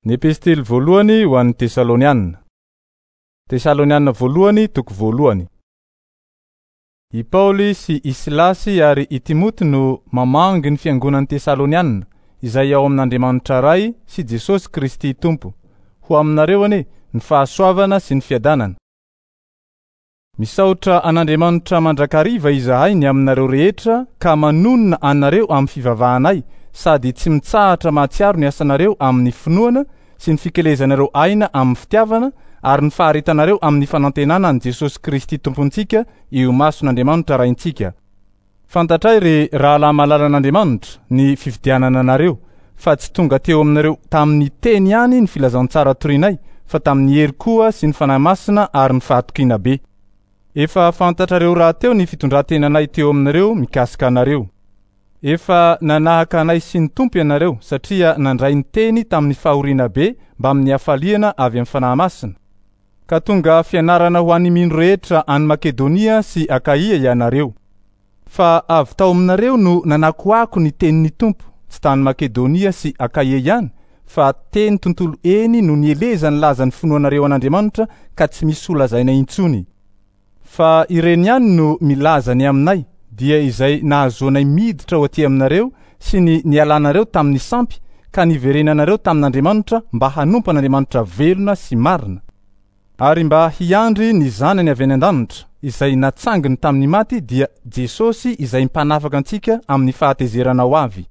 Ny Epistily voalohany ho an'ny Tesaloniana. Tesaloniana voalohany toko voalohany. I Paoly sy i Silasy ary i Timoty no mamangy ny fiangonan'ny Tesaloniana izay ao amin'Andriamanitra Ray sy Jesosy Kristy Tompo. Ho aminareo anie ny fahasoavana sy ny fiadanana. Misaotra an'Andriamanitra mandrakariva izahay ny aminareo rehetra ka manonona anareo amin'ny fivavahanay sady tsy mitsahatra mahatsiaro ny asanareo amin'ny finoana sy ny fikelezanareo aina amin'ny fitiavana ary ny faharetanareo amin'ny fanantenana an'i Jesosy Kristy Tompontsika eo imason'Andriamanitra Raintsika. Fantatray ry rahalahy malalan'Andriamanitra ny fifidianana anareo fa tsy tonga teo aminareo tamin'ny teny ihany ny filazantsara torinay fa tamin'ny hery koa sy ny Fanahy Masina ary ny fahatokiana be. Efa fantatrareo rahateo ny fitondran-tenanay teo aminareo mikasika anareo. Efa nanahaka anay sy ny Tompo ianareo satria nandray ny teny tamin'ny fahoriana be mbamin'ny hafaliana avy amin'ny Fanahy Masina. Ka tonga fianarana ho an'ny mino rehetra any Makedonia sy Akaia ianareo. Fa avy tao aminareo no nanakoako ny tenin'ny Tompo, tsy tany Makedonia sy Akaia ihany, fa teny tontolo eny no nielezan'ny lazan'ny finoanareo an'Andriamanitra ka tsy misy holazaina intsony. Fa ireny ihany no milaza ny aminay, dia izay nahazoanay miditra ho aty aminareo sy ny nialanareo tamin'ny sampy ka niverenanareo tamin'Andriamanitra mba hanompo an'Andriamanitra velona sy marina. Ary mba hiandry ny Zanany avy any an-danitra, izay natsanginy tamin'ny maty, dia Jesosy izay Mpanafaka antsika amin'ny fahatezerana ho avy.